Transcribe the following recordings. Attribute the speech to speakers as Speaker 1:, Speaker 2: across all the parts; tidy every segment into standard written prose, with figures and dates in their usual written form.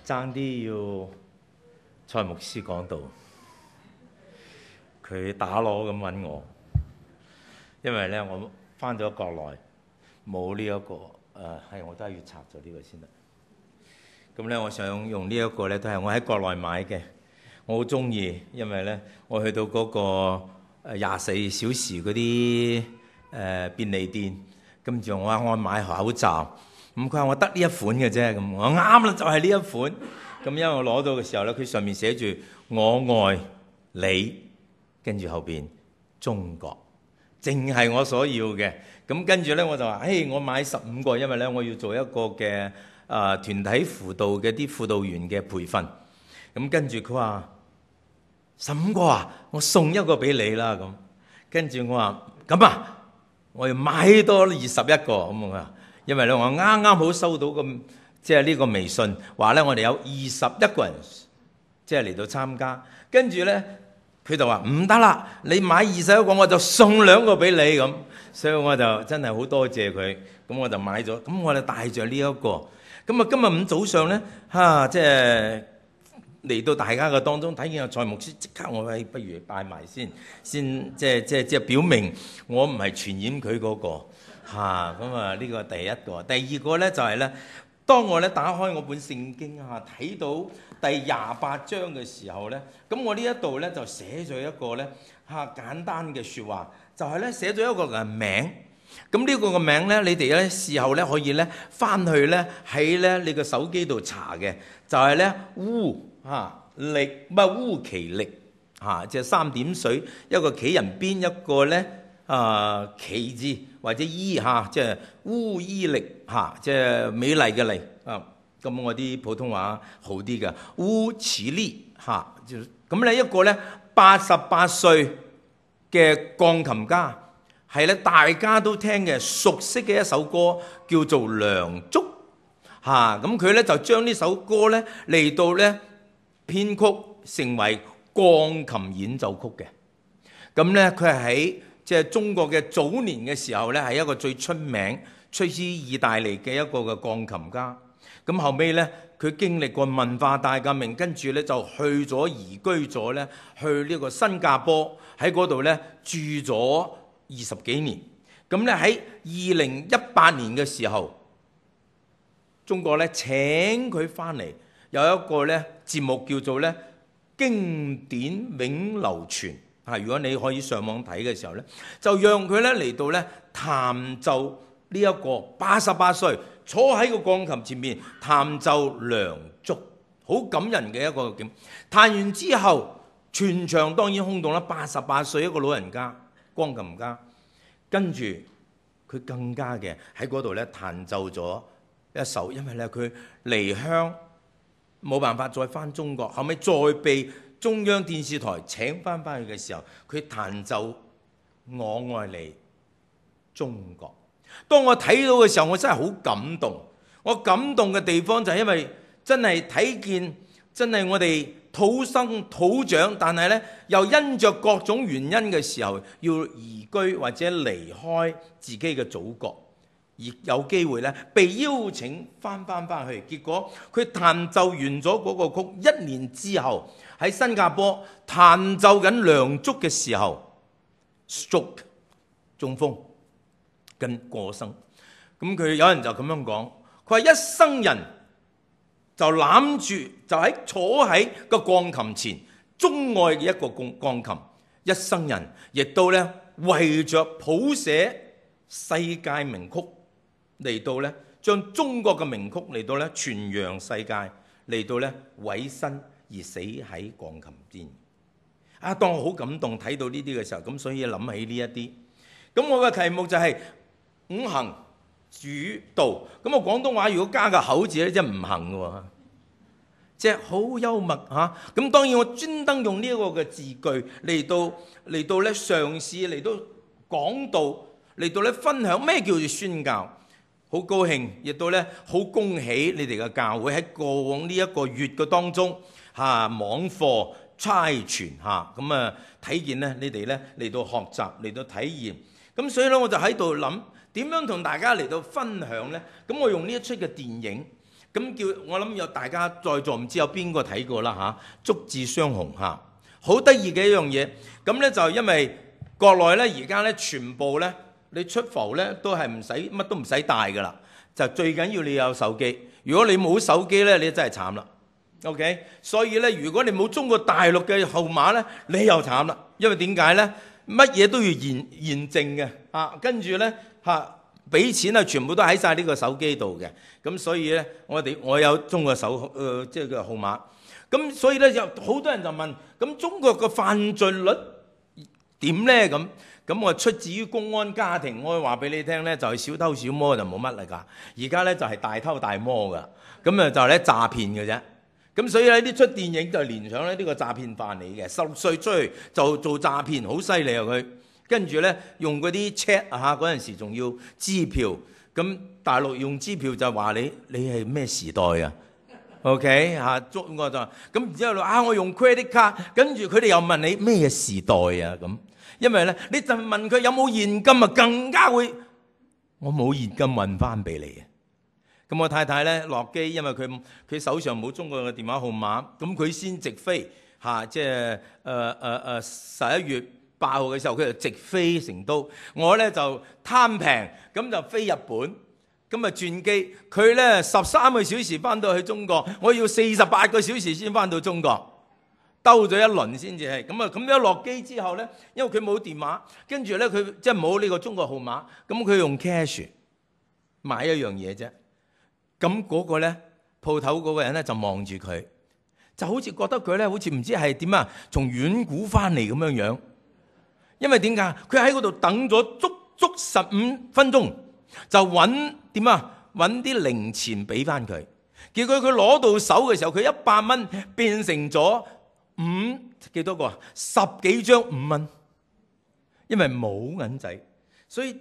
Speaker 1: 爭啲要蔡牧師講道，佢打鑼咁揾我，因為咧我翻咗國內冇呢一個係我都係要拆咗呢個先得。咁咧我想用呢一個咧都係我喺國內買嘅，我好中意，因為咧我去到嗰個24小時嗰啲便利店，跟住我話我買口罩，咁佢話我得呢一款嘅啫，咁我啱啦，就係呢一款。咁因為我攞到嘅時候咧，佢上面寫住我愛你，跟住後邊中國，淨係我所要嘅。咁跟住咧我就話，我買15個，因為咧我要做一個嘅團體輔導嘅啲輔導員嘅培訓。咁跟住佢話15個啊，我送一個俾你啦。咁跟住我話咁啊，我要買多21個咁啊，因為咧我啱啱好收到咁。即係呢個微信話咧，我哋有21個人即係嚟到參加，跟住咧佢就話唔得啦，你買21個我就送2個俾你咁，所以我就真係好多謝佢，咁我就買咗，咁我就帶著呢一個，咁啊今日5早上咧即係嚟到大家嘅當中睇見阿蔡牧師，即刻我話不如拜埋先即係表明我唔係傳染佢嗰個咁啊呢個第一個，第二個咧就係咧。當我咧打開我本聖經睇到第28章嘅時候咧，咁我呢一度咧就寫咗一個咧簡單嘅説話，就係咧寫咗一個嘅名。咁呢個嘅名咧，你哋咧事後咧可以咧翻去咧喺咧你個手機度查嘅，就係咧烏其力即係3點水，一個企人邊，一個咧其字或者即係烏伊力即係美麗嘅麗咁我啲普通話好啲嘅烏奇力咁咧一個咧88歲嘅鋼琴家，係咧大家都聽嘅熟悉嘅一首歌叫做《梁祝》咁佢咧就將呢首歌咧嚟到咧編曲成為鋼琴演奏曲嘅。咁咧佢係喺即係中國嘅早年嘅時候咧，係一個最出名出自意大利嘅一個嘅鋼琴家。咁後尾咧，佢經歷過文化大革命，跟住咧就去咗移居咗咧，去呢個新加坡，喺嗰度咧住咗20幾年。咁咧喺2018年嘅時候，中國咧請佢翻嚟，有一個咧節目叫做咧經典永流傳。如果你可以上網睇嘅時候咧，就讓佢咧嚟到咧彈奏呢一個88歲坐喺個鋼琴前面彈奏梁祝，好感人嘅一個景。彈完之後，全場當然轟動啦，88歲一個老人家鋼琴家，跟住佢更加嘅喺嗰度咧彈奏咗一首，因為咧佢離鄉冇辦法再翻中國，後尾再被中央電視台請翻去嘅時候，佢彈奏我愛你中國。當我睇到嘅時候，我真係好感動。我感動嘅地方就係因為真係睇見真係我哋土生土長，但係呢又因着各種原因嘅時候要移居或者離開自己嘅祖國，而有機會呢被邀請翻去。結果佢彈奏完咗嗰個曲，1年之後喺新加坡彈奏緊梁祝嘅時候 stroke 中風跟過生。咁佢有人就咁樣講，佢話一生人就攬住就坐喺個鋼琴前鍾愛嘅一個鋼琴，一生人亦都咧為着譜寫世界名曲嚟到咧將中國嘅名曲嚟到咧傳揚世界，嚟到咧委身而死喺鋼琴邊。當我好感動睇到呢啲嘅時候，咁所以諗起呢一啲。咁我嘅題目就係五行主導。咁我廣東話如果加個口字咧，即係唔行嘅喎，即係好幽默嚇。咁當然我專登用呢一個嘅字句嚟到咧嘗試嚟到講道，嚟到咧分享咩叫做宣教。好高興，亦都咧好恭喜你哋嘅教會喺過往呢一個月嘅當中網課差傳咁睇見咧你哋咧嚟到學習嚟到體驗。咁所以咧我就喺度諗點樣同大家嚟到分享咧。咁我用呢一出嘅電影，咁叫我諗有大家在座唔知有邊個睇過啦嚇，竹字雙紅嚇，好得意嘅一樣嘢。咁咧就因為國內咧而家咧全部咧你出埠咧都係唔使乜都唔使帶㗎啦，就最緊要你有手機。如果你冇手機咧，你真係慘啦。OK， 所以咧如果你冇中國大陸嘅號碼咧，你又慘啦。因為點解咧？乜嘢都要驗證嘅啊，跟住咧嚇。俾錢啊，全部都喺晒呢個手機度嘅，咁所以咧，我有中國即係個號碼，咁所以咧有好多人就問，咁中國個犯罪率點咧？咁我出自於公安家庭，我話俾你聽咧，就係小偷小摸就冇乜嚟㗎，而家咧就係大偷大摸㗎，咁啊就係咧詐騙嘅啫，咁所以咧呢出電影就連上咧呢個詐騙犯嚟嘅，16歲出去就做詐騙，好犀利啊佢。跟住咧用嗰啲 check 啊，嗰陣時仲要支票，咁大陸用支票就話你係咩時代啊 ？OK 嚇，中國就咁，然之後我用 credit card，跟住佢哋又問你咩時代啊咁，因為咧你就問佢有冇現金啊，更加會我冇現金問翻俾你啊。咁我太太咧落機，因為佢手上冇中國嘅電話號碼，咁佢先直飛嚇，即係11月8號嘅時候，佢就直飛成都。我咧就貪平，咁就飛日本，咁啊轉機。佢咧13個小時翻到去中國，我要48個小時先翻到中國，兜咗一輪先至係。咁樣落機之後咧，因為佢冇電話，跟住咧佢即係冇呢個中國號碼，咁佢用 cash 買一樣嘢啫。咁嗰個咧鋪頭嗰個人咧就望住佢，就好似覺得佢咧好似唔知係點啊，從遠古翻嚟咁樣樣。因為點解？佢喺嗰度等咗足15分鐘，就揾點啊？揾啲零錢俾翻佢。結果佢攞到手嘅時候，佢100蚊變成咗幾多個啊？10幾張5蚊。因為冇銀仔，所以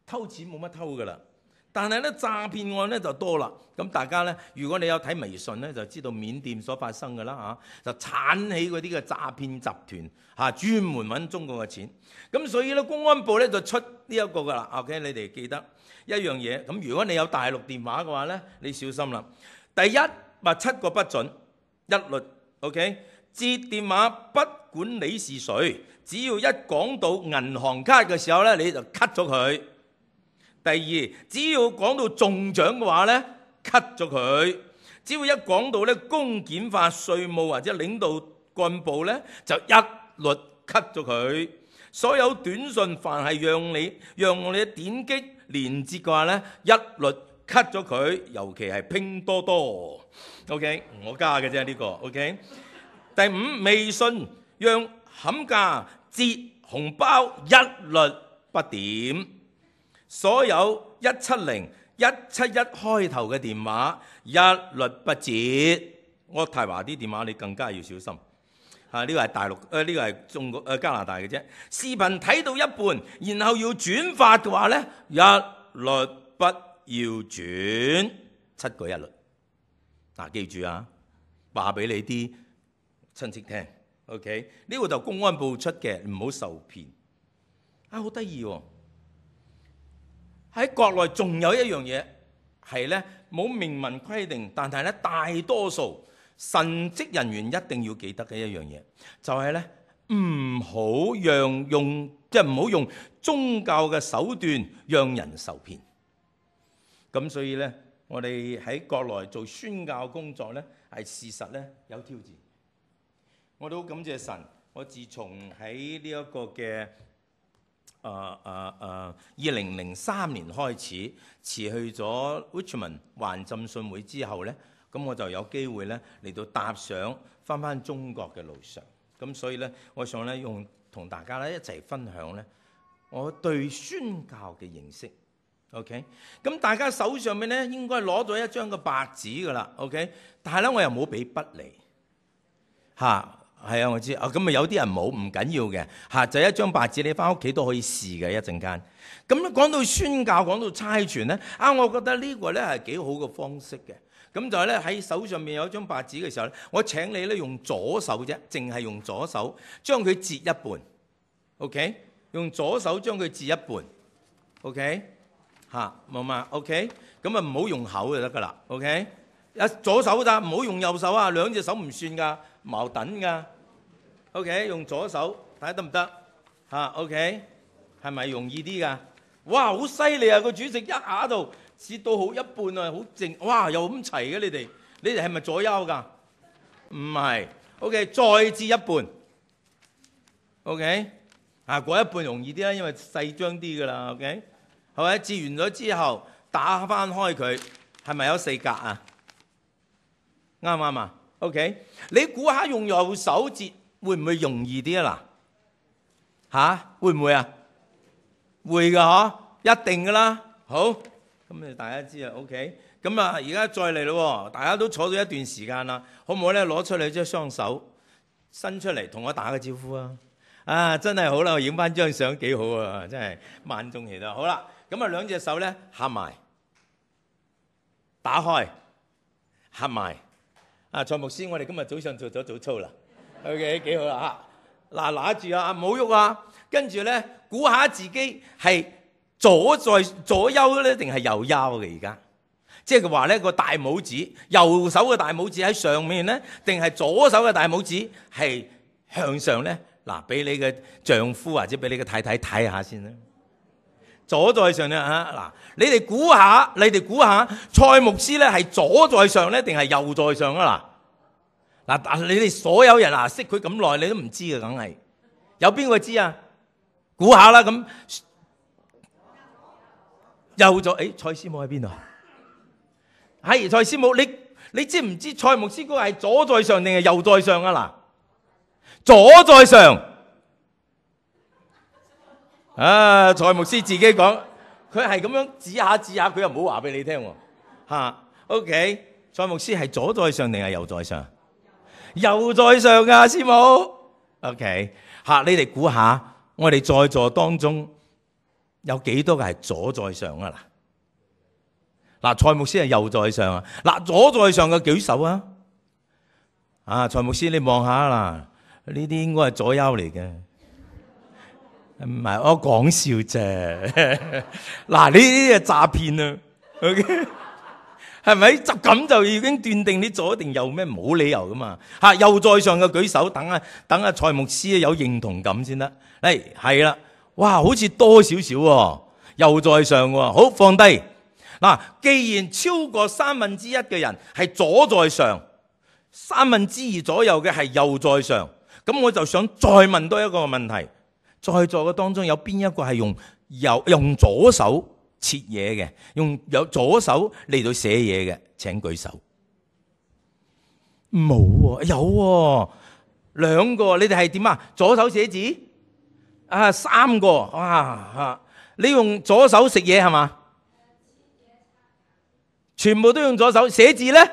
Speaker 1: 偷錢冇乜偷噶啦。但係咧詐騙案咧就多啦。咁大家咧，如果你有睇微信咧，就知道緬甸所發生嘅啦嚇，就鏟起嗰啲嘅詐騙集團嚇，專門揾中國嘅錢。咁所以咧，公安部咧就出呢一個噶啦。OK， 你哋記得一樣嘢。咁如果你有大陸電話嘅話咧，你小心啦。第一話7個不準，一律 OK。接電話不管你是誰，只要一講到銀行卡嘅時候咧，你就 cut 咗佢。第二，只要講到中獎嘅話咧，cut 咗佢。只要一講到咧公檢法、稅務或者領導幹部咧，就一律 cut 咗佢。所有短信凡係讓你點擊連接嘅話咧，一律 cut 咗佢。尤其係拼多多 ，OK， 我加嘅啫呢個 ，OK。第5，微信讓冚價折紅包一律不點。所有170、171開頭嘅電話一律不接。渥太華啲電話你更加要小心。呢個係大陸，呢個係中國加拿大嘅啫。視頻睇到一半，然後要轉發嘅話咧，一律不要轉，7個一律。記住啊，話俾你啲親戚聽。OK， 呢個就公安部出嘅，唔好受騙。好得意喎！喺國內仲有一樣嘢係咧冇明文規定，但係咧大多數神職人員一定要記得嘅一樣嘢，就係咧唔好用宗教嘅手段讓人受騙。咁所以咧，我哋喺國內做宣教工作咧，係事實咧有挑戰。我都好感謝神，我自從喺呢一個嘅2003年開始辭去咗 Richmond 環浸信會之後咧，咁我就有機會咧嚟到踏上翻中國嘅路上。咁所以咧，我想咧同大家咧一齊分享咧我對宣教嘅認識。OK， 咁大家手上面咧應該攞咗一張嘅白紙噶啦。OK， 但係咧我又冇俾筆嚟嚇。係啊，我知啊。咁有啲人冇，唔緊要嘅就一張白紙，你翻屋企都可以試嘅一陣間。咁講到宣教，講到差傳咧，我覺得呢個咧係幾好嘅方式嘅。咁就係咧喺手上面有一張白紙嘅時候咧，我請你咧用左手啫，淨係用左手將佢截一半。OK， 用左手將佢截一半。OK， 冇嘛 ？OK， 咁唔好用口就得噶啦。OK，左手咋，唔好用右手啊，兩隻手唔算噶，矛盾噶。OK， 用左手睇下得唔得嚇 ？OK， 係咪容易啲噶？哇，好犀利啊！個主席一下度切到好一半啊，好靜。哇，又咁齊嘅你哋係咪左右噶？唔係。OK， 再切一半。OK， 嗰一半容易啲啦，因為細張啲噶啦。OK， 係咪？切完咗之後打翻開佢，係咪有4格啊？啱唔啱啊 ？OK， 你估下用右手切會唔會容易啲啊？嗱，會唔會啊？會噶嗬，一定噶啦。好，咁大家知啊。OK， 咁而家再嚟咯，大家都坐咗一段時間啦，好唔好咧？攞出你隻雙手伸出嚟，同我打個招呼啊！真係好啦，我影翻張相幾好啊！真係萬眾期待。好啦，咁兩隻手咧合埋，打開，合埋。蔡牧師，我哋今日早上做咗早操啦。OK， 幾好啦嚇！嗱，拿住啊，唔好喐啊！跟住咧，估下自己係左右咧，定係右腰嘅而家？即係佢話咧，個大拇指，右手嘅大拇指喺上面咧，定係左手嘅大拇指係向上咧？嗱，俾你嘅丈夫或者俾你嘅太太睇下先啦。左在上咧嚇，嗱，你哋估下，蔡牧師咧係左在上咧，定係右在上啊？嗱，你哋所有人識佢咁耐，你都唔知嘅，梗係有邊個知啊？估下啦，咁右在，蔡師母喺邊度？係蔡師母，你知唔知蔡牧師嗰個係左在上定係右在上啊？嗱，左在上。蔡牧師自己講，佢係咁樣指下，佢又唔好話俾你聽喎。OK， 蔡牧師係左在上定係右在上？右在上㗎，師母。OK， 你哋估下，我哋在座當中有幾多個係左在上啊？嗱，蔡牧師係右在上啊。嗱，左在上嘅舉手啊。蔡牧師你望下啦，呢啲應該係左腰嚟嘅。唔係，我講笑啫。嗱，呢啲係詐騙啊。OK， 係咪？就咁就已經斷定你左定右咩？冇理由噶嘛。右在上嘅舉手，等阿蔡牧師有認同感先得。係啦，哇，好似多少少喎，右在上喎。好，放低。嗱，既然超過1/3嘅人係左在上，2/3左右嘅係右在上，咁我就想再問多一個問題。在座嘅當中有邊一個係用左手切嘢嘅，用左手嚟到寫嘢嘅？請舉手。冇喎，有喎，2個。你哋係點啊？左手寫字？3個。哇！你用左手食嘢係嘛？全部都用左手寫字咧？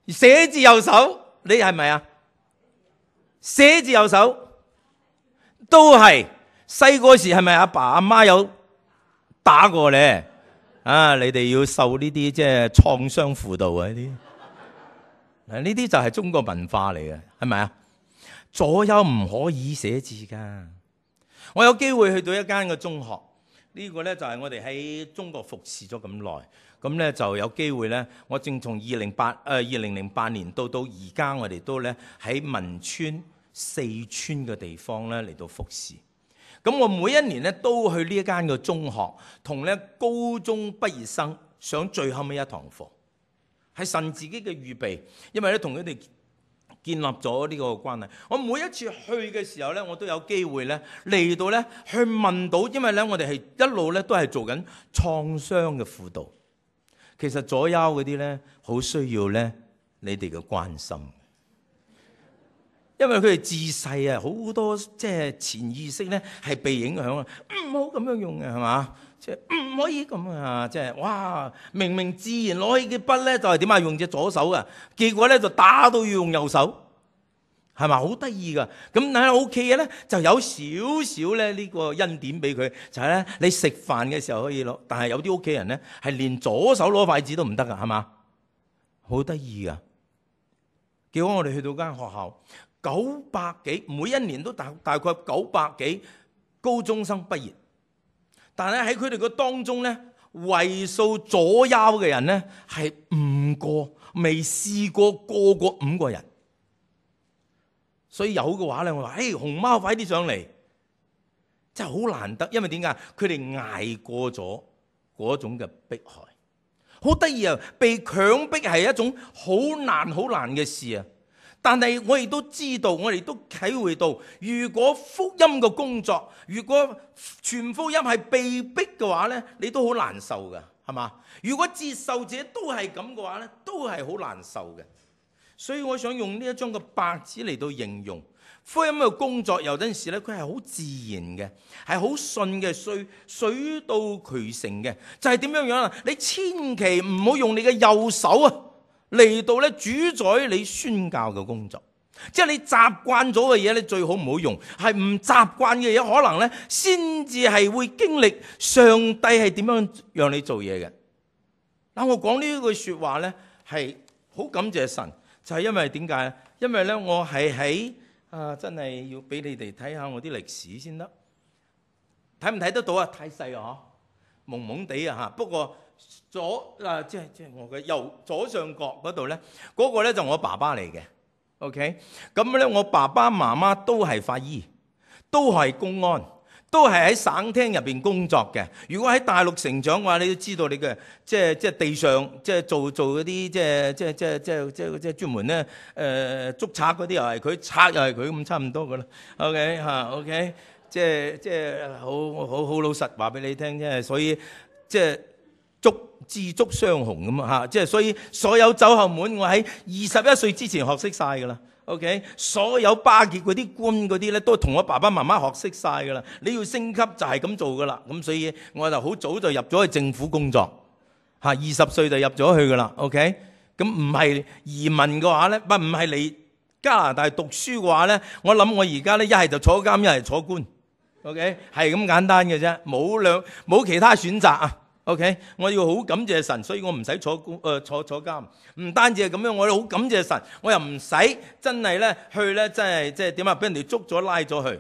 Speaker 1: 寫字右手，你係咪啊？寫字右手。都係細個時係咪阿爸阿媽有打過咧？你哋要受呢啲即係創傷輔導啊！呢啲就係中國文化嚟嘅，係咪啊？左右唔可以寫字噶。我有機會去到一間嘅中學，呢個咧就係我哋喺中國服侍咗咁耐，咁咧就有機會咧，我正從2008年到而家，我哋都咧喺汶川、四川嘅地方咧嚟到服侍。咁我每一年咧都去呢一間嘅中學，同咧高中畢業生上最後尾一堂課，係神自己嘅預備，因為咧同佢哋建立咗呢個關係。我每一次去嘅時候咧，我都有機會咧嚟到咧去問到，因為咧我哋係一路咧都係做緊創傷嘅輔導。其實左右嗰啲咧好需要咧你哋嘅關心。因為佢哋自細好多即係潛意識咧係被影響啊，唔好咁樣用嘅係嘛，即係唔可以咁啊，即係哇，明明自然攞起嘅筆咧就係點啊，用隻左手啊，結果咧就打到要用右手，係嘛，好得意噶。咁但係 OK 嘅咧，就有少少咧呢個恩典俾佢，就係咧你食飯嘅時候可以攞，但係有啲屋企人咧係連左手攞筷子都唔得噶，係嘛，好得意噶。結果我哋去到間學校。900幾，每一年都大概900幾高中生畢業，但係喺佢哋個當中咧，為數左右嘅人呢，係5個，未試過過5個人。所以有嘅話咧，我話：熊貓快啲上嚟！真係好難得，因為點解？佢哋捱過咗嗰種嘅迫害，好得意啊！被強迫係一種好難嘅事啊！但係我亦都知道，我哋都體會到，如果福音嘅工作，如果傳福音係被逼嘅話咧，你都好難受噶，係嘛？如果接受者都係咁嘅話咧，都係好難受嘅。所以我想用呢一張嘅白紙嚟到形容福音嘅工作，有陣時咧，佢係好自然嘅，係好順嘅，水到渠成嘅。就係點樣樣啊？你千祈唔好用你嘅右手啊嚟到咧主宰你宣教嘅工作。即係你習慣咗嘅嘢，你最好唔好用。係唔習慣嘅嘢，可能咧先至係會經歷上帝係點樣讓你做嘢嘅。嗱，我講呢句說話咧，係好感謝神。就係因為點解？因為咧，我係喺真係要俾你哋睇下我啲歷史先得。睇唔睇得到啊？太細啊，蒙蒙地啊嚇。不過即係我嘅右左上角嗰度咧，嗰個咧就我爸爸嚟嘅。OK， 咁咧我爸爸媽媽都係法醫，都係公安，都係喺省廳入邊工作嘅。如果喺大陸成長嘅話，你都知道你嘅即係地上即係做嗰啲即係專門咧捉賊嗰啲又係佢，賊又係佢，咁差唔多噶啦。OK 嚇 OK， 即係好老實話俾你聽啫。所以即係知足雙雄咁啊嚇，即係所以所有走後門我喺21歲之前學識晒噶啦。OK， 所有巴結嗰啲官嗰啲咧，都同我爸爸媽媽學識晒噶啦。你要升級就係咁做噶啦。咁所以我就好早就入咗去政府工作嚇，20歲就入咗去噶啦。OK， 咁唔係移民嘅話咧，唔係嚟加拿大讀書嘅話咧，我諗我而家咧一係就坐監，一係坐官。OK， 係咁簡單嘅啫，冇其他選擇啊。OK， 我要好感謝神，所以我唔使坐監。唔單止係咁樣，我好感謝神，我又唔使真係咧去咧，真係即係點啊？俾人哋捉咗拉咗去。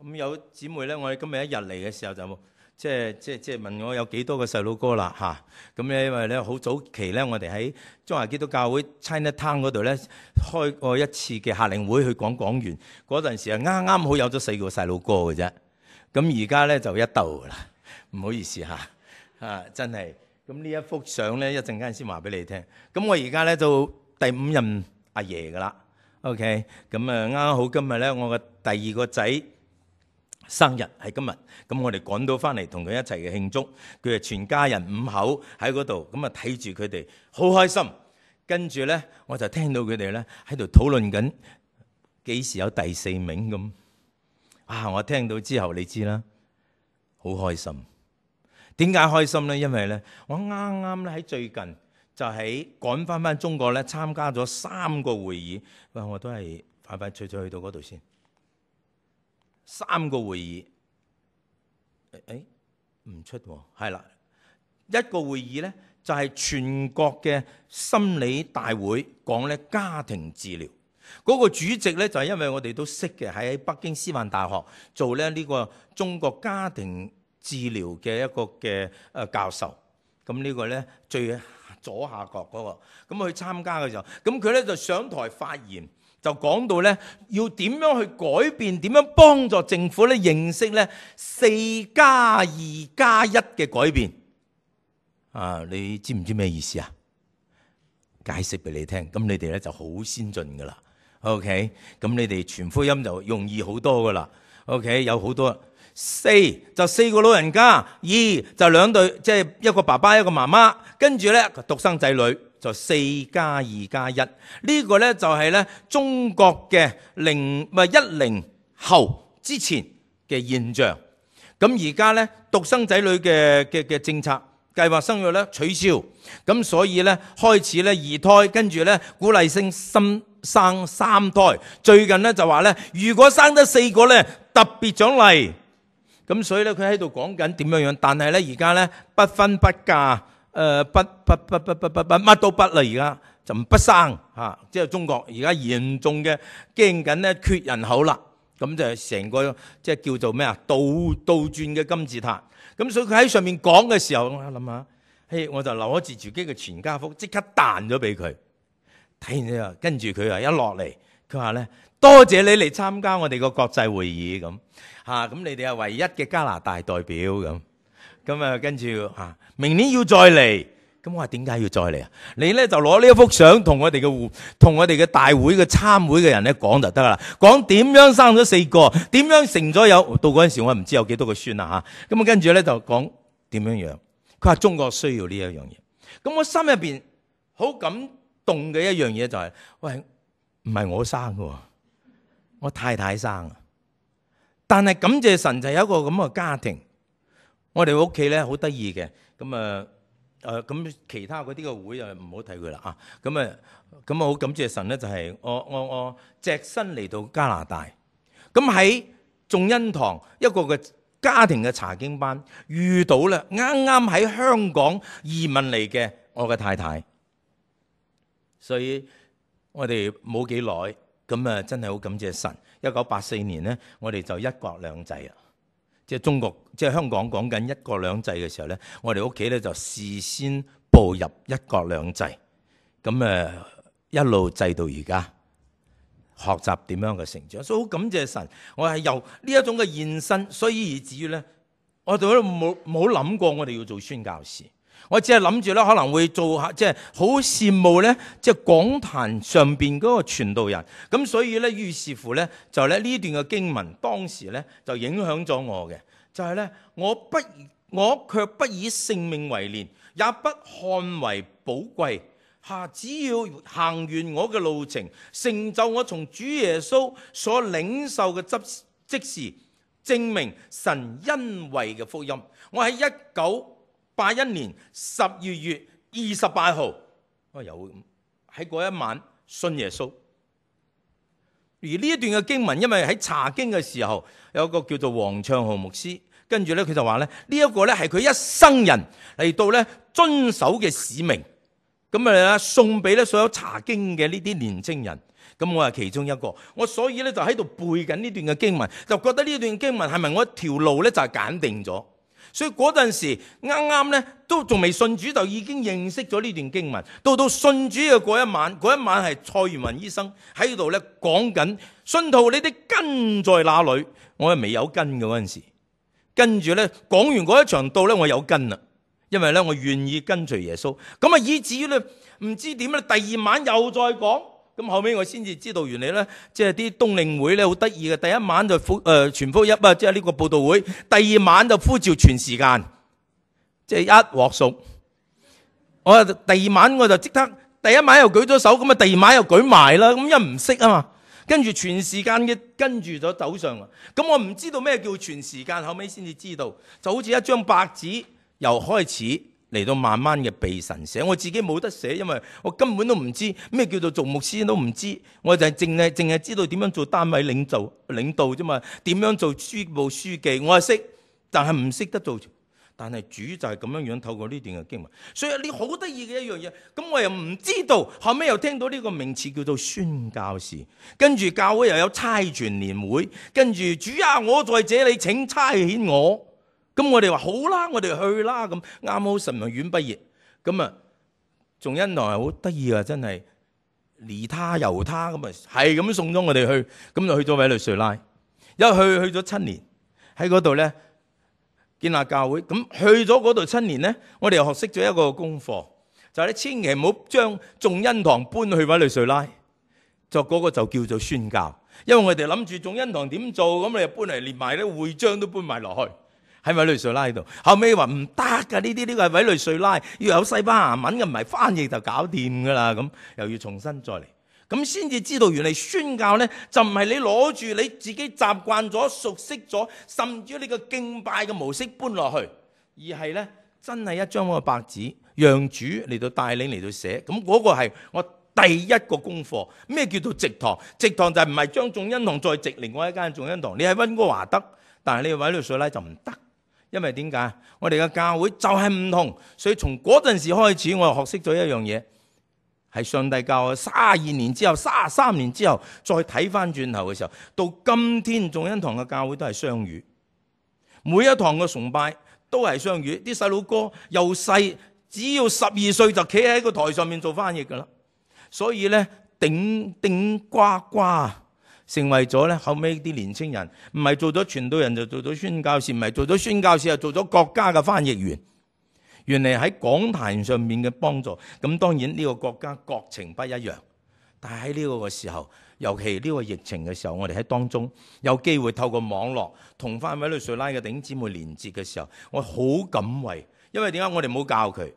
Speaker 1: 咁有姊妹咧，我哋今日一日嚟嘅時候就即係問我有幾多個細佬哥啦嚇。咁咧因為咧好早期咧，我哋喺中華基督教會 Chinatown 嗰度咧開過一次嘅夏令會去講完嗰陣時啊，啱啱好有咗4個細佬哥嘅啫。咁而家咧就一竇噶啦。唔好意思嚇，真係咁呢一幅相咧，一陣間先話俾你聽。咁我而家咧就第5任阿爺噶啦。OK， 咁啊啱啱好今日咧，我嘅第2個仔生日係今日，咁我哋趕到翻嚟同佢一齊嘅慶祝。佢係全家人5口喺嗰度，咁啊睇住佢哋好開心。跟住咧，我就聽到佢哋咧喺度討論緊幾時有第4名咁。我聽到之後你知啦，好開心。點解開心呢？因為咧，我啱啱咧喺最近就喺趕翻中國咧，參加咗3個會議。我都係快脆去到嗰度先。3個會議，唔出喎，係啦，一個會議咧就係全國嘅心理大會，講咧家庭治療。嗰個主席咧就係因為我哋都識嘅，喺北京師範大學做咧呢個中國家庭治療嘅一個嘅教授。咁呢個咧最左下角嗰個，咁去參加嘅時候，咁佢咧就上台發言，就講到咧要點樣去改變，點樣幫助政府咧認識咧4+2+1嘅改變。你知唔知咩意思啊？解釋俾你聽，咁你哋咧就好先進噶啦。OK， 咁你哋傳福音就容易好多噶啦。OK， 有好多4就4個老人家，2就2對，即係一個爸爸一個媽媽，跟住咧獨生仔女就4+2+1。呢個咧就係咧中國嘅10後之前嘅現象。咁而家咧獨生仔女嘅政策計劃生育咧取消，咁所以咧開始咧2胎，跟住咧鼓勵生3胎。最近咧就話咧，如果生得4個咧特別獎勵。咁所以咧佢喺度講緊點樣樣，但係咧而家咧不婚不嫁，乜都不啦，而家就不生嚇，即係中國而家嚴重嘅驚緊咧缺人口啦。咁就係成個即係叫做咩啊？倒轉嘅金字塔。咁所以佢喺上面講嘅時候，我諗下，我就攞住自己嘅全家福，即刻彈咗俾佢。睇完之後，跟住佢一落嚟，佢話咧：多謝你嚟參加我哋個國際會議咁嚇，咁你哋係唯一嘅加拿大代表咁。咁啊，跟住明年要再嚟。咁我話點解要再嚟啊？你咧就攞呢一幅相同我哋嘅大會嘅參會嘅人咧講就得啦，講點樣生咗4個，點樣成咗有到嗰陣時我唔知有幾多個孫啦嚇。咁啊跟住咧就講點樣樣。佢話中國需要呢一樣嘢。咁我心入邊好感動嘅一樣嘢就係，喂，唔係我生嘅，我太太生啊。但係感謝神就有一個咁嘅家庭。我哋屋企咧好得意嘅，咁其他嗰啲嘅會唔好睇佢啦啊！咁好感謝神咧，就係我隻身嚟到加拿大，咁喺眾恩堂一個嘅家庭嘅查經班遇到咧，啱啱喺香港移民嚟嘅我嘅太太，所以我哋冇幾耐，咁真係好感謝神。1984年咧，我哋就一國兩制啊！即係中國，即係香港講緊一國兩制嘅時候咧，我哋屋企咧就事先步入一國兩制，咁一路制到而家，學習點樣嘅成長，所以好感謝神。我係由呢一種嘅現身，所以以至於咧，我哋都冇諗過我哋要做宣教士，我只係諗住咧可能會做下，即係好羨慕咧，即係講壇上邊嗰個傳道人。咁所以咧，於是乎咧，就咧呢段嘅經文，當時咧就影響咗我嘅，就係咧我卻不以性命為念，也不看為寶貴。只要行完我嘅路程，成就我從主耶穌所領受嘅職事，證明神恩惠嘅福音。我喺1981年12月28號，我有喺嗰一晚信耶穌。而呢一段嘅經文，因為喺查經嘅時候，有一個叫做黃暢豪牧師，跟住咧佢就話咧，呢一個咧係佢一生人嚟到咧遵守嘅使命。咁送俾咧所有查經嘅呢啲年青人，咁我係其中一個。我所以咧就喺度背緊呢段嘅經文，就覺得呢段經文係咪我一條路咧就係揀定咗。所以嗰陣時啱啱咧都仲未信主，就已經認識咗呢段經文。到信主嘅嗰一晚係蔡元雲醫生喺度咧講緊，信徒你哋根在哪裏？我係未有根嘅嗰陣時，跟住咧講完嗰一場道咧，我有根啦。因為咧，我願意跟隨耶穌，咁以至於咧，唔知點咧，第二晚又再講，咁後尾我先至知道，原來咧，即係啲冬令會咧好得意嘅，第一晚就傳福音啊，即係呢個佈道會，第二晚就呼召全時間，即係一鑊熟。我第二晚我就即刻，第一晚又舉咗手，咁啊第二晚又舉埋啦，咁因為唔識啊嘛，跟住全時間嘅跟住咗走上啊，咁我唔知道咩叫全時間，後尾先至知道，就好似一張白紙。由開始嚟到慢慢嘅被神寫，我自己冇得寫，因為我根本都唔知咩叫做做牧師都唔知，我就係淨係知道點樣做單位領導啫嘛，點樣做書部書記，我係識，但係唔識得做。但係主就係咁樣樣透過呢段嘅經文，所以呢好得意嘅一樣嘢。咁我又唔知道，後尾又聽到呢個名詞叫做宣教士，跟住教會又有差傳年會，跟住主啊，我在這裡請差遣我。咁我哋話好啦，我哋去啦。咁啱好神學院畢業，咁仲恩堂係好得意啊！真係離他由他咁係咁送咗我哋去，咁就去咗委內瑞拉，因為去咗7年喺嗰度咧建立教會。咁去咗嗰度7年咧，我哋又學識咗一個功課，就係你千祈唔好將眾恩堂搬去委內瑞拉，就嗰個就叫做宣教。因為我哋諗住眾恩堂點做，咁你又搬嚟連埋啲會章都搬埋落去。喺委內瑞拉度，後尾話唔得㗎，呢個係委內瑞拉，要有西班牙文嘅，唔係翻譯就搞掂㗎啦。咁又要重新再嚟，咁先至知道原嚟宣教咧就唔係你攞住你自己習慣咗、熟悉咗，甚至你個敬拜嘅模式搬落去，而係咧真係一張個白紙，讓主嚟到帶領嚟到寫。咁嗰個係我第一個功課。咩叫做植堂？植堂就係唔係將眾恩堂再植另外一間眾恩堂？你喺溫哥華得，但係你喺委內瑞拉就唔得。因為點解？我哋嘅教會就係唔同，所以從嗰陣時開始，我就學識咗一樣嘢，係上帝教我32年之後、33年之後再睇翻轉頭嘅時候，到今天眾恩堂嘅教會都係雙語，每一堂嘅崇拜都係雙語。啲細佬哥又細，只要12歲就企喺個台上面做翻譯噶啦。所以咧，頂頂呱呱成為咗咧，後尾啲年青人唔係做咗傳道人就做咗宣教士，唔係做咗宣教士就做咗國家嘅翻譯員。原嚟喺講壇上面嘅幫助，咁當然呢個國家國情不一樣，但係喺呢個時候，尤其呢個疫情嘅時候，我哋喺當中有機會透過網絡同翻委內瑞拉嘅弟兄姊妹連結嘅時候，我好感慰，因為點解我哋冇教佢，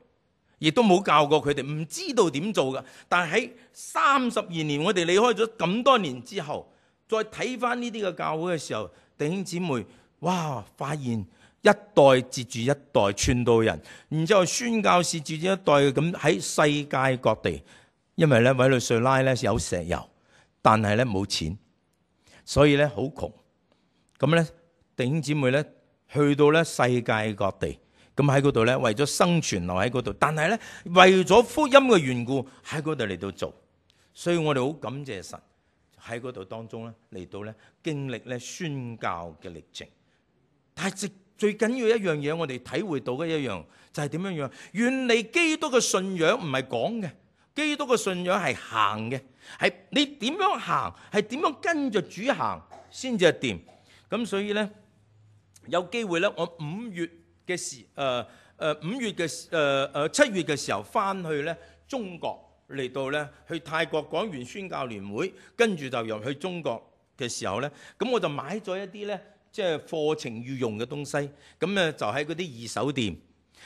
Speaker 1: 亦都冇教過佢哋，唔知道點做㗎。但係喺32年，我哋離開咗咁多年之後，再睇翻呢啲嘅教會嘅時候，弟兄姊妹，哇，發現一代接住一代傳道人，然之後宣教士接住一代咁喺世界各地。因為咧委內瑞拉咧有石油，但係咧冇錢，所以咧好窮。咁咧弟兄姊妹咧去到咧世界各地，咁喺嗰度咧為咗生存留喺嗰度，但係咧為咗福音嘅緣故喺嗰度嚟到做。所以我哋好感謝神喺嗰度當中咧嚟到咧經歷咧宣教嘅歷程。但係最緊要一樣嘢，我哋體會到嘅一樣就係點樣樣？原嚟基督嘅信仰唔係講嘅，基督嘅信仰係行嘅，係你點樣行，係點樣跟着主行先至係掂。咁所以咧有機會咧，我7月嘅時候翻去咧中國嚟到咧去泰國講完宣教聯會，跟住就入去中國嘅時候咧，咁我就買咗一啲咧。即係課程要用嘅東西，咁咧就喺嗰啲二手店。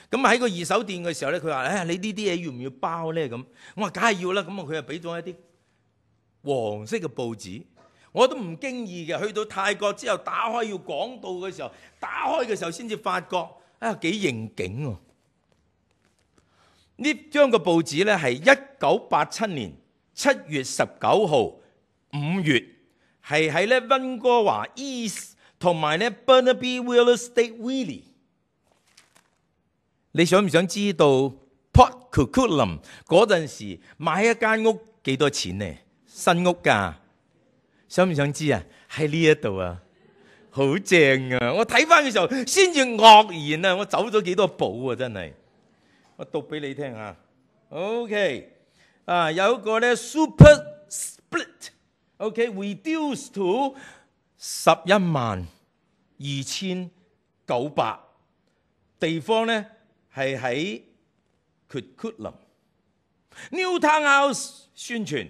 Speaker 1: 咁喺個二手店嘅時候咧，佢話：你呢啲嘢要唔要包咧？咁我話：梗係要啦。咁啊，佢又俾咗一啲黃色嘅報紙，我都唔經意嘅。去到泰國之後，打開要講道嘅時候，打開嘅時候先至發覺幾應景喎。呢張嘅報紙咧係1987年7月19號5月，係喺咧溫哥華 East。同埋咧 Burnaby Real Estate Weekly， 你想唔想知道 Port Coquitlam 嗰陣時買一間屋幾多錢呢？新屋㗎，想唔想知啊？喺呢一度啊，好正啊！我睇翻嘅時候先至愕然啊！我走咗幾多步啊！真係，我讀俾你聽啊。OK， 有一個咧 Super Split，OK，reduced to112900，地方咧係喺 Coquitlam New Townhouse 宣傳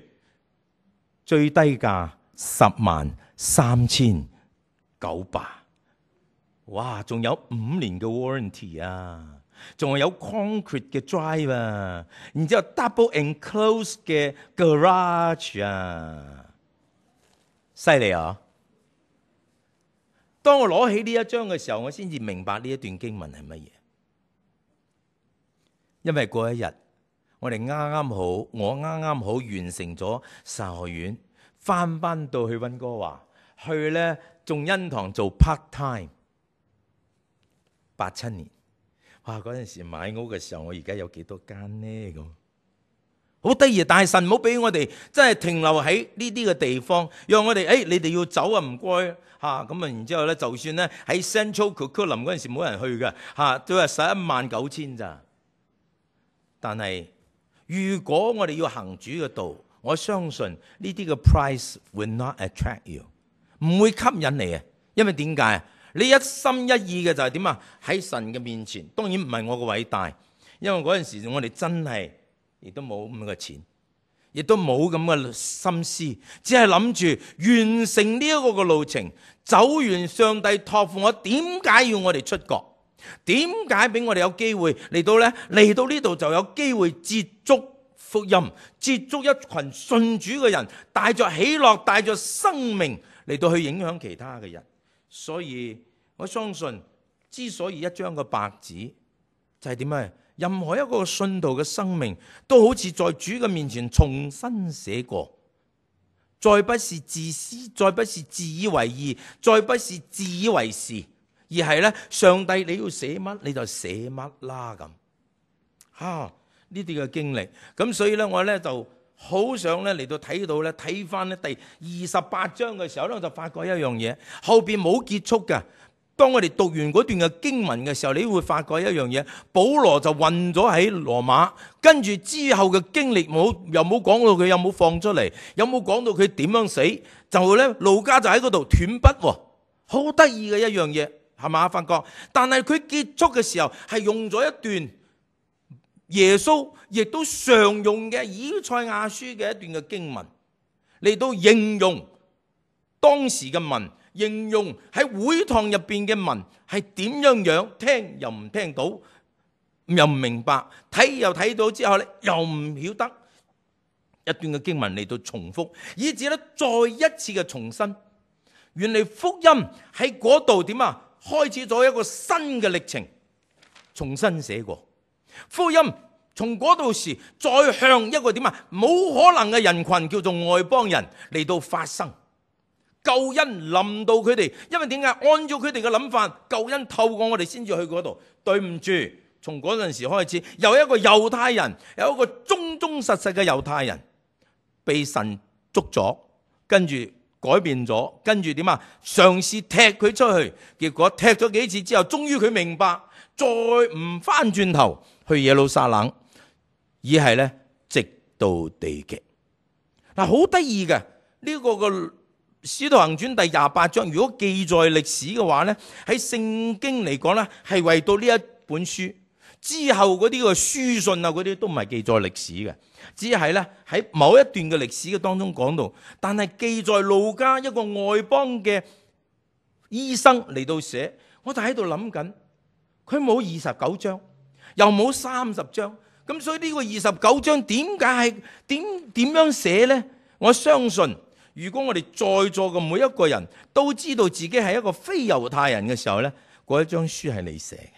Speaker 1: 最低價103900，哇！仲有5年嘅 warranty 啊，仲係有 concrete 嘅 drive 啊，然之後 double enclosed 嘅 garage 啊，犀利啊！當我攞起呢一張嘅時候，我先至明白呢一段經文係乜嘢。因為嗰一日，我啱啱好完成咗神學院，翻到去溫哥華，去咧眾恩堂做 part time。87年，哇！嗰陣時買屋嘅時候，我而家有幾多間呢？咁好得意，但係神唔好俾我哋真係停留喺呢啲嘅地方，讓我哋你哋要走啊，唔該。咁然之後咧，就算咧喺 Central Coquitlam 嗰陣時冇人去嘅都係119000咋。但係如果我哋要行主嘅道，我相信呢啲嘅 price will not attract you， 唔會吸引你啊。因為點解啊？你一心一意嘅就係點啊？喺神嘅面前，當然唔係我嘅偉大，因為嗰陣時我哋真係亦都冇咁嘅錢。亦都冇咁嘅心思，只係諗住完成呢一個嘅路程，走完上帝託付我。點解要我哋出國？點解俾我哋有機會嚟到呢？嚟到呢度就有機會接觸福音，接觸一群信主嘅人，帶着喜樂，帶着生命嚟到去影響其他嘅人。所以我相信，之所以一張嘅白紙就係點啊？任何一個信徒嘅生命都好似在主嘅面前重新寫過，再不是自私，再不是自以為義，再不是自以為是，而係咧，上帝你要寫乜你就寫乜啦咁。呢啲嘅經歷。咁所以咧，我咧就好想咧嚟到睇到咧，睇翻咧第28章嘅時候咧，我就發覺一樣嘢，後邊冇結束嘅。當我哋讀完嗰段嘅經文嘅時候，你會發覺一樣嘢，保羅就困咗喺羅馬，跟住之後嘅經歷又冇講到佢有冇放出嚟，有冇講到佢點樣死，就咧路加就喺嗰度斷筆，好得意嘅一樣嘢，係嘛？發覺，但係佢結束嘅時候係用咗一段耶穌亦都常用嘅以賽亞書嘅一段嘅經文嚟到形容當時嘅民，形容喺會堂入邊嘅民係點樣，聽又唔聽到，又唔明白，睇又睇到之後咧又唔曉得，一段嘅經文嚟到重複，以至咧再一次嘅重申，原來福音喺嗰度點啊？開始咗一個新嘅歷程，重新寫過福音，從嗰度時再向一個點啊？冇可能嘅人群叫做外邦人嚟到發生。救恩臨到佢哋，因為點解？按照佢哋嘅諗法，救恩透過我哋先至去嗰度。對唔住，從嗰陣時開始，有一個猶太人，有一個忠忠實實嘅猶太人，被神捉咗，跟住改變咗，跟住點啊？嘗試踢佢出去，結果踢咗幾次之後，終於佢明白，再唔翻轉頭去耶路撒冷，而係咧直到地極。嗱，好得意嘅呢個個。使徒行傳第28章，如果記載歷史嘅話呢，喺聖經嚟講呢，係為到呢一本書之後嗰啲個書信啊，嗰啲都唔係記載歷史嘅，只係呢喺某一段嘅歷史嘅當中講到。但係記載路加一個外邦嘅醫生嚟到寫，我就喺度諗緊，佢冇29章，又冇30章，咁所以呢個29章點解係點樣寫呢？我相信。如果我哋在座嘅每一個人都知道自己係一個非猶太人嘅時候呢，嗰一張書係你寫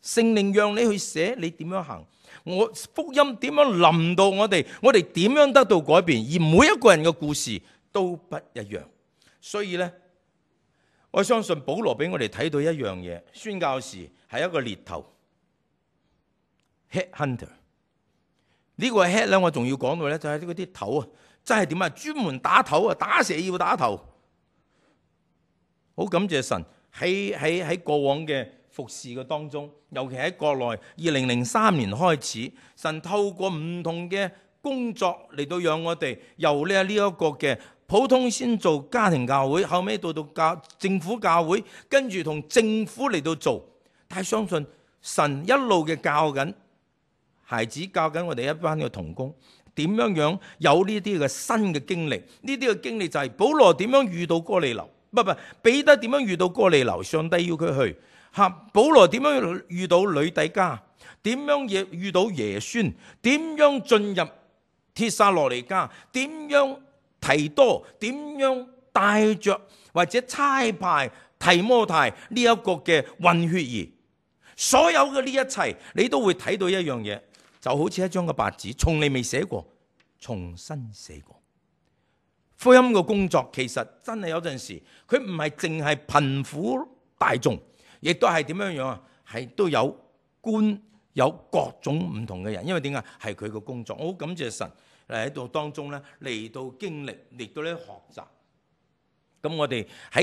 Speaker 1: 嘅，聖靈讓你去寫，你點樣行，我福音點樣臨到我哋點樣得到改變，而每一個人嘅故事都不一樣。所以呢，我相信保羅俾我哋睇到一樣嘢，宣教士係一個獵頭 head hunter。呢個 head 呢，我仲要講到呢，就係嗰啲頭啊。真係點啊？專門打頭啊！打蛇要打頭。好感謝神喺過往嘅服侍嘅當中，尤其喺國內，2003年開始，神透過唔同嘅工作嚟到讓我哋由呢一個嘅普通先做家庭教會，後尾到政府教會，跟住同政府嚟到做。但係相信神一路嘅教緊孩子，教緊我哋一班嘅同工。點樣有呢啲嘅新嘅經歷？呢啲嘅經歷就係保羅點樣遇到哥尼流，彼得點樣遇到哥尼流？上帝要佢去嚇。保羅點樣遇到呂底加？點樣遇到耶孫？點樣進入帖撒羅尼迦？點樣提多？點樣帶着或者差派提摩太呢一個嘅混血兒？所有嘅呢一切，你都會睇到一樣嘢。就好似一張嘅白紙，從嚟未寫過，重新寫過。福音嘅工作其實真係有陣時，佢唔係淨係貧苦大眾，亦都係點樣啊？係都有官，有各種唔同嘅人。因為點解？係佢嘅工作。我好感謝神喺度當中咧，嚟到經歷，嚟到咧學習。咁我哋喺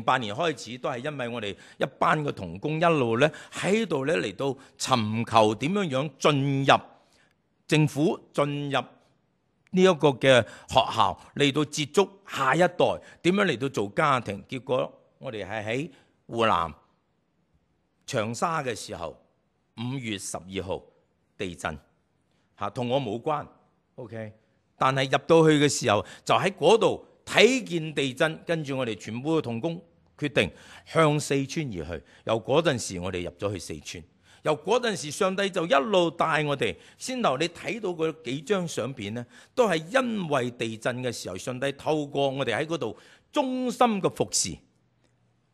Speaker 1: 2008年開始，都係因為我哋一班嘅同工一路咧喺度咧嚟到尋求點樣進入政府、進入呢一個嘅學校，嚟到接觸下一代，點樣嚟到做家庭。結果我哋係喺湖南長沙嘅時候，5月12號地震嚇，同我冇關 ，OK。但係入到去嘅時候，就喺嗰度。睇見地震，跟住我哋全部嘅同工決定向四川而去。由嗰陣時，我哋入咗去四川。由嗰陣時，上帝就一路帶我哋。先頭你睇到嗰幾張相片呢，都係因為地震嘅時候，上帝透過我哋喺嗰度忠心嘅服侍，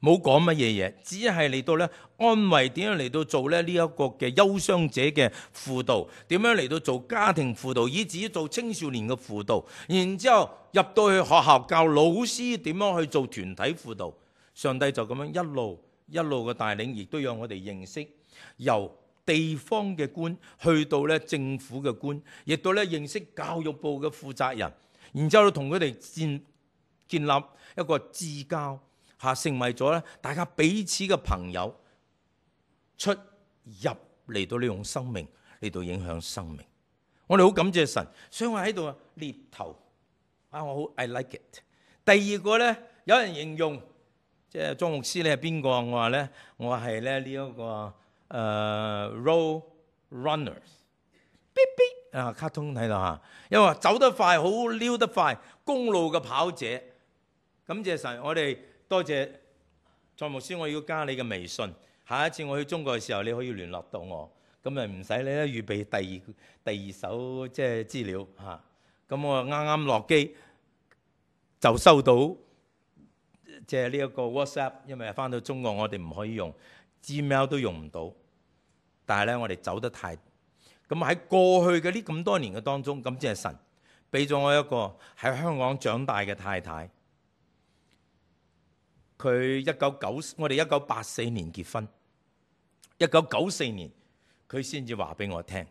Speaker 1: 冇講乜嘢嘢，只係嚟到咧安慰，點樣嚟到做咧呢一個嘅憂傷者嘅輔導，點樣嚟到做家庭輔導，以至於做青少年嘅輔導，然之後入到去學校教老師點樣去做團體輔導。上帝就咁樣一路嘅帶領，亦都讓我哋認識由地方嘅官，去到咧政府嘅官，亦都咧認識教育部嘅負責人，然之後同佢哋建立一個至交，成為咗咧大家彼此嘅朋友，出入嚟到呢種生命嚟到影響生命。我哋好感謝神，所以我喺度獵頭我好 I like it。第二個咧，有人形容即係莊牧師你係邊個？我話咧，我係咧呢一個road runners， 卡通睇到嚇，因為走得快，好溜得快，公路嘅跑者。感謝神，我哋多謝莊牧師，我要加你嘅微信，下一次我去中國嘅時候，你可以聯絡到我，咁咪唔使你咧預備第二手即係資料嚇。咁我啱啱落機就收到即係呢一個 WhatsApp， 因為翻到中國我哋唔可以用 Gmail 都用唔到，但係咧我哋走得太咁喺過去嘅呢咁多年嘅當中，感謝神俾咗我一個喺香港長大嘅太太。佢我哋1984年結婚，1994年佢先至話俾我聽，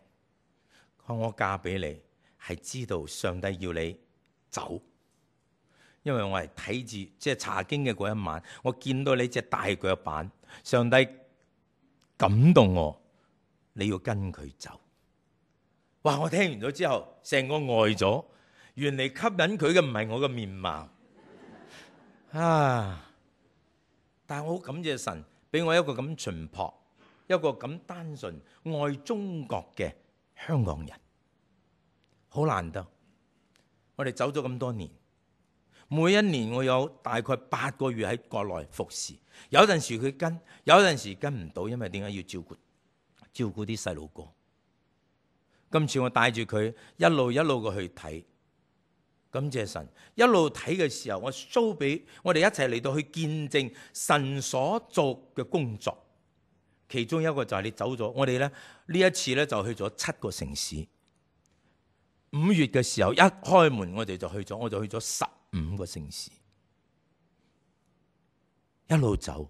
Speaker 1: 我嫁俾你係知道上帝要你走，因為我係睇住即係查經嘅嗰一晚，我見到你隻大腳板，上帝感動我，你要跟佢走。哇！我聽完咗之後，成個呆咗，原來吸引佢嘅唔係我嘅面貌啊！但係我好感謝神，俾我一個咁淳樸、一個咁單純愛中國嘅香港人，好難得。我哋走咗咁多年，每一年我有大概8個月喺國內服侍，有陣時佢跟，有陣時跟唔到，因為點解要照顧啲細路哥。今次我帶住佢一路嘅去睇。感謝神，一路睇嘅時候，我 show 俾我哋一齊嚟到去見證神所做嘅工作。其中一個就係你走咗，我哋咧呢一次咧就去咗7個城市。5月嘅時候一開門，我就去咗15個城市，一路走，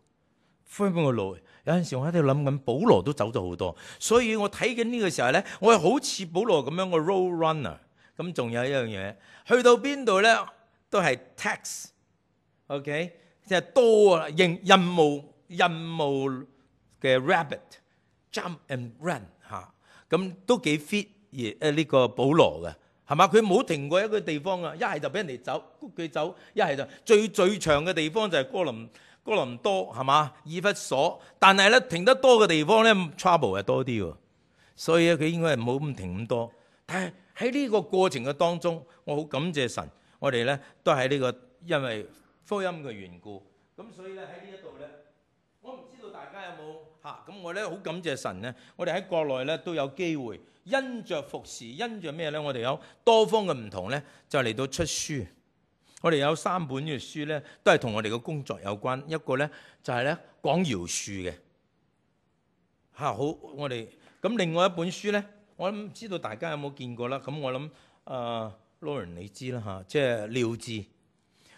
Speaker 1: 分個路。有陣時我喺度諗緊，保羅都走咗好多，所以我睇緊呢個時候咧，我係好似保羅咁樣個 road runner。咁仲有一樣嘢，去到邊度咧都係 tax，OK， 即係多啊，任務嘅 rabbit jump and run 咁都幾 fit 呢個保羅嘅，係嘛？佢冇停過一個地方啊，一係就俾人哋走，谷佢走，一係就最長嘅地方就係哥林多，係嘛？以弗所，但係咧停得多嘅地方咧 trouble 係多啲喎，所以佢應該係冇咁停咁多，但係喺呢個過程嘅當中，我好感謝神，我哋咧都喺呢個因為福音嘅緣故，咁所以咧喺呢一度咧，我唔知道大家有冇咁我咧好感謝神咧，我哋喺國內咧都有機會，因着服侍，因着咩咧？我哋有多方嘅唔同咧，就嚟到出書。我哋有3本嘅書咧，都係同我哋嘅工作有關。一個咧就係咧講饒恕嘅好我哋咁，另外一本書咧。我諗唔知道大家有冇見過啦，咁我諗Lauren 你知啦即係廖智。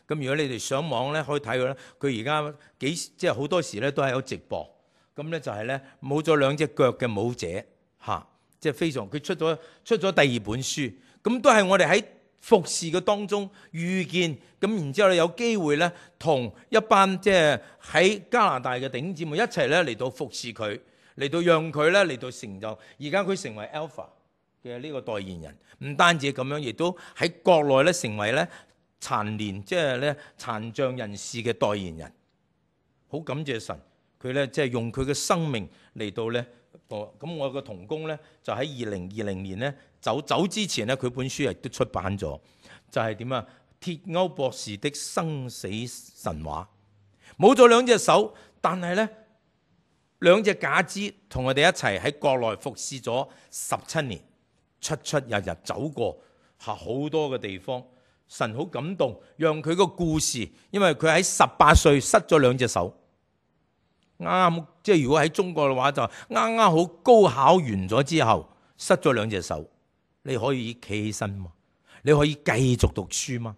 Speaker 1: 咁如果你哋上網咧可以睇佢咧，佢而家即係好多時咧都係有直播。咁咧就係咧冇咗2隻腳嘅舞者即係非常。佢出咗第2本書，咁都係我哋喺服侍嘅當中遇見。咁然之後咧有機會咧同一班即係喺加拿大嘅弟兄姊妹一齊咧嚟到服侍佢。嚟到讓佢咧嚟到成就，而家佢成為 Alpha 嘅呢個代言人，唔單止咁樣，亦都喺國內咧成為咧殘年即係咧殘障人士嘅代言人。好感謝神，佢咧即係用佢嘅生命嚟到咧咁我個同工咧就喺2020年咧走之前咧，佢本書亦都出版咗，就係點啊？鐵歐博士的生死神話，冇咗2隻手，但係咧。2隻假肢同我哋一齊喺國內服侍咗17年，出入入走過好多嘅地方。神好感動，讓佢個故事，因為佢喺18歲失咗2隻手，啱即係如果喺中國嘅話就啱好高考完咗之後失咗2隻手，你可以企起身嘛？你可以繼續讀書嘛？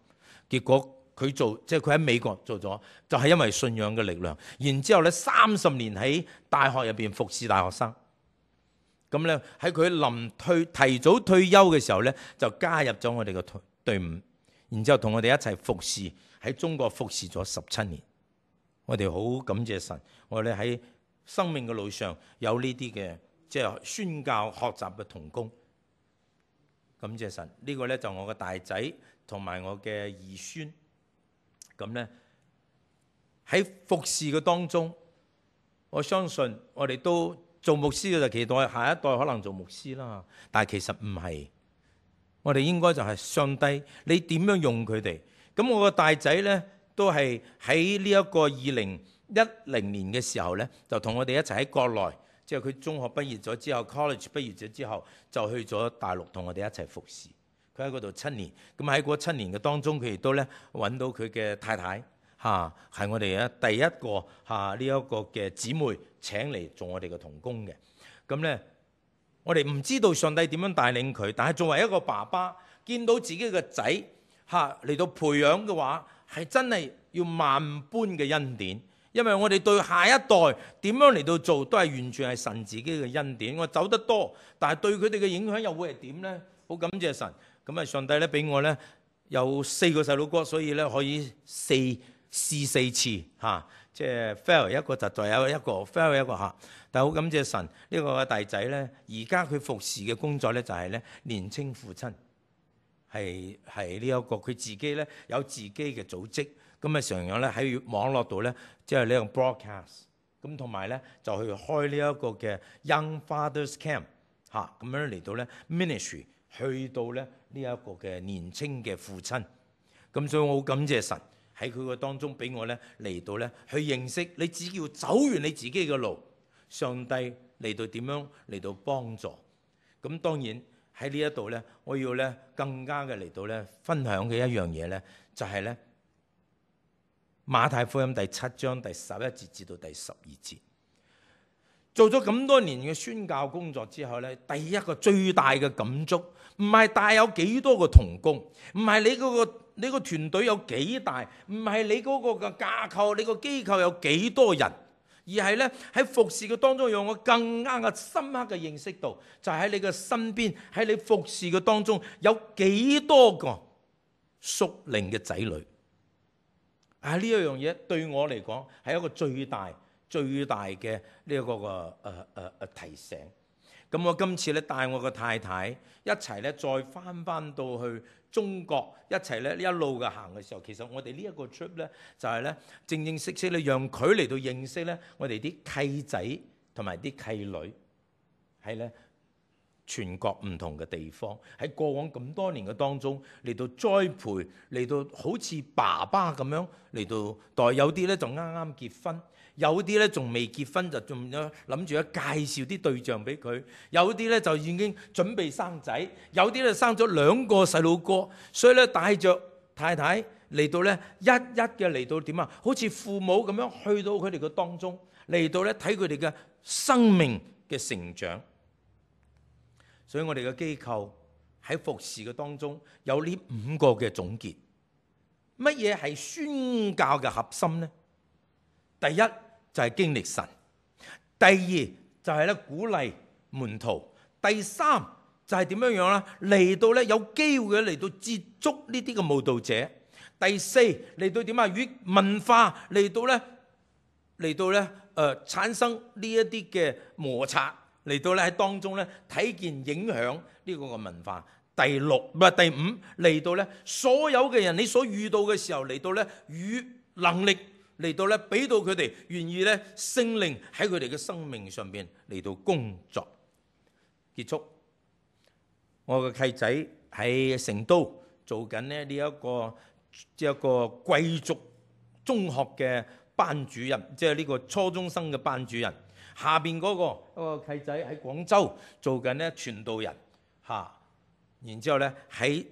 Speaker 1: 結果佢即係佢喺美國做咗，就係因為信仰嘅力量。然之後咧，30年喺大學入邊服侍大學生，咁咧喺佢提早退休嘅時候咧，就加入咗我哋嘅隊伍，然之後同我哋一齊服侍喺中國服侍咗17年。我哋好感謝神，我哋喺生命嘅路上有呢啲嘅即係宣教學習嘅同工。感謝神，呢個咧就我嘅大仔同埋我嘅二孫。咁咧喺服侍嘅當中，我相信我哋都做牧師嘅就期待下一代可能做牧師啦，但係其實唔係，我哋應該就係上帝你點樣用佢哋。咁我個大仔咧都係喺呢一個2010年嘅時候咧，就同我哋一齊喺國內，即係佢中學畢業咗之後 college 畢業咗之後，就去咗大陸同我哋一齊服侍。佢喺嗰度7年，咁喺嗰7年嘅當中，佢亦都咧揾到佢嘅太太係我哋第一個呢一個嘅姊妹請嚟做我哋嘅同工嘅。咁咧我哋唔知道上帝點樣帶領佢，但係作為一個爸爸，見到自己嘅仔嚟到培養嘅話，係真係要萬般嘅恩典。因為我哋對下一代點樣嚟到做，都係完全係神自己嘅恩典。我走得多，但係對佢哋嘅影響又會係點呢？好感謝神。咁啊，上帝咧俾我咧有4個細佬哥，所以咧可以試4次即係 fail 一個就再有一個 fail 一個但係好感謝神，呢個大仔咧，而家佢服侍嘅工作咧就係咧年青父親，係呢一個佢自己咧有自己嘅組織，咁啊常常咧喺網絡度咧即係呢個 broadcast， 咁同埋咧就去開呢一個嘅 Young Fathers Camp 咁樣嚟到咧 ministry， 去到咧呢一個嘅年青嘅父親。咁所以我好感謝神喺佢個當中俾我咧嚟到咧去認識，你只要走完你自己嘅路，上帝嚟到點樣嚟到幫助。咁當然喺呢一度咧，我要咧更加嘅嚟到咧分享嘅一樣嘢咧，就係咧馬太福音第7章第11節至到第12節。做咗咁多年嘅宣教工作之後咧，第一個最大嘅感觸，唔係帶有幾多個同工，唔係你個團隊有幾大，唔係你嗰個嘅架構，你個機構有幾多人，而係咧喺服侍嘅當中，讓我更加嘅深刻嘅認識到，就係喺你嘅身邊，喺你服侍嘅當中有幾多個屬靈嘅仔女。呢一樣嘢對我嚟講係一個最大嘅呢一個嘅提醒。咁我今次咧帶我個太太一齊咧再翻到去中國，一齊咧一路嘅行嘅時候，其實我哋呢一個 trip 咧就係咧正式咧讓佢嚟到認識咧我哋啲契仔同埋啲契女喺咧全國唔同嘅地方，喺過往咁多年嘅當中嚟到栽培，嚟到好似爸爸咁樣嚟到代。有啲咧就啱啱結婚，有啲咧仲未結婚就仲諗住介紹啲對象俾佢，有啲咧就已經準備生仔，有啲咧生咗2個細路哥，所以咧帶着太太嚟到咧一嘅嚟到點啊？好似父母咁樣去到佢哋嘅當中，嚟到咧睇佢哋嘅生命嘅成長。所以我哋嘅機構喺服侍嘅當中有呢5個嘅總結。乜嘢係宣教嘅核心呢？第一就係經歷神，第二就係咧鼓勵門徒，第三就係點樣樣啦？嚟到咧有機會嚟到接觸呢啲嘅慕道者，第四嚟到點啊？與文化嚟到咧產生呢一啲嘅摩擦。嚟到咧喺當中咧睇見影響呢個嘅文化。第五嚟到咧所有嘅人你所遇到嘅時候，嚟到咧與能力嚟到咧俾到佢哋願意咧聖靈喺佢哋嘅生命上邊嚟到工作。結束，我嘅契仔喺成都做緊咧呢一個貴族中學嘅班主任，即係呢個初中生嘅班主任。下邊嗰個契仔喺廣州做緊咧傳道人然之後咧喺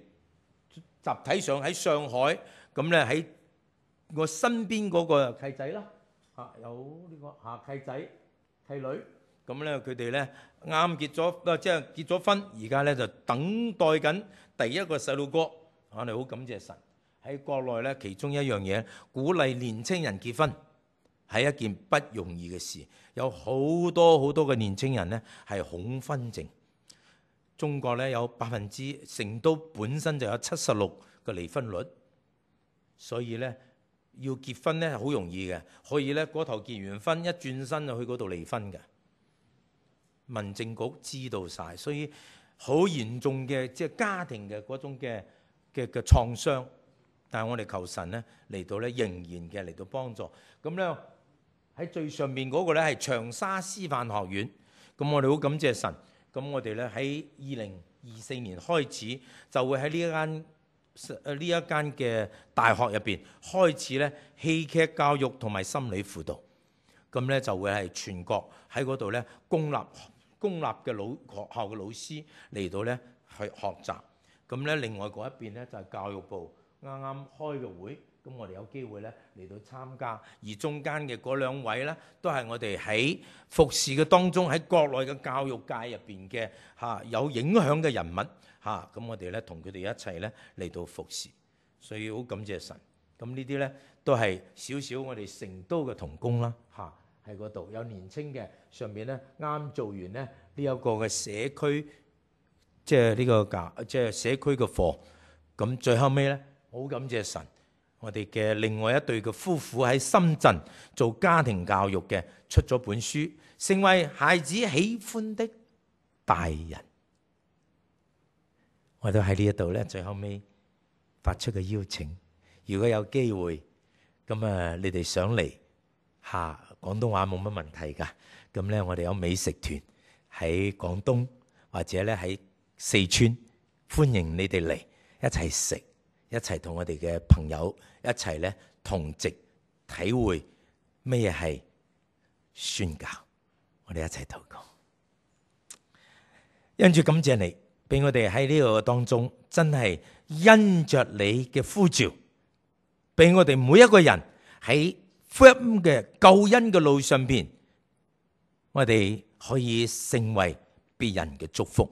Speaker 1: 集體上喺上海，咁咧喺我身邊嗰個契仔啦有呢個契仔契女，咁咧佢哋咧啱結咗即係結咗婚，而家咧就等待緊第一個細路哥。我哋好感謝神喺國內咧，其中一樣嘢鼓勵年青人結婚。係一件不容易嘅事。有好多嘅年青人呢係恐婚症。中國呢有成都本身就有76%嘅離婚率，所以呢要結婚呢好容易嘅，可以呢嗰頭結完婚一轉身就去嗰度離婚嘅。民政局知道晒，所以好嚴重嘅即係家庭嘅嗰種嘅創傷。但係我哋求神呢嚟到呢仍然嘅嚟到幫助。咁呢喺最上面嗰個呢係長沙師範學院。咁我哋好感謝神。咁我哋呢喺2024年開始就會喺呢一間嘅大學入邊開始呢戲劇教育同埋心理輔導。咁呢就會係全國喺嗰度呢公立嘅學校嘅老師嚟到呢去學習。咁呢另外嗰一邊呢就係教育部啱啱開嘅會，咁我哋有機會呢嚟到參加。而中間嘅嗰兩位呢都係我哋喺服侍嘅當中喺國內嘅教育界入邊嘅有影響嘅人物嚇。咁我哋呢同佢哋一齊呢嚟到服侍，所以好感謝神。咁呢啲呢都係少少我哋成都嘅同工啦嚇。喺嗰度有年青嘅，上面咧啱做完咧呢一個嘅社區，即係呢個即係社區嘅課。咁最後尾咧，好感謝神，我哋嘅另外一對嘅夫婦喺深圳做家庭教育嘅，出咗本書，成為孩子喜歡的大人。我都喺呢一度咧，最後尾發出個邀請，如果有機會，咁你哋上嚟嚇。廣東話冇乜問題㗎，咁咧我哋有美食團喺廣東或者咧喺四川，歡迎你哋嚟一齊食，一齊同我哋嘅朋友一齊咧同席體會咩係宣教。我哋一齊禱告，因主感謝你，俾我哋喺呢個當中真係因着你嘅呼召，俾我哋每一個人喺福音嘅救恩嘅路上邊，我哋可以成為別人嘅祝福。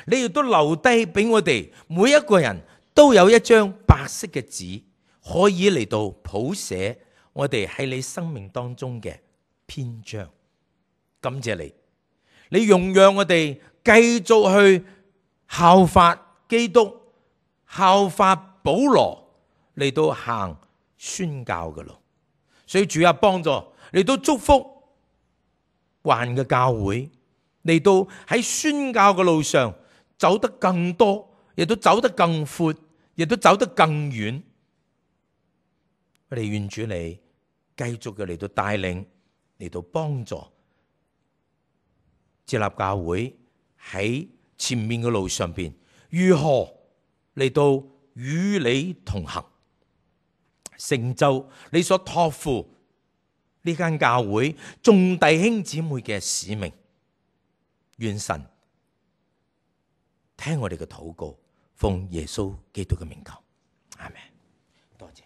Speaker 1: 你亦都留低俾我哋每一個人都有一張白色嘅紙，可以嚟到譜寫我哋喺你生命當中嘅篇章。感謝你，你容讓我哋繼續去效法基督，效法保羅嚟到行宣教嘅路。所以主啊，幫助嚟到祝福環嘅教會，嚟到喺宣教嘅路上走得更多，亦都走得更闊，亦都走得更遠。我哋願主你繼續嘅嚟到帶領，嚟到幫助接納教會喺前面嘅路上邊，如何嚟到與你同行，成就你所託付呢間教會眾弟兄姊妹嘅使命。願神聽我哋嘅禱告，奉耶穌基督嘅名求，阿們。多謝。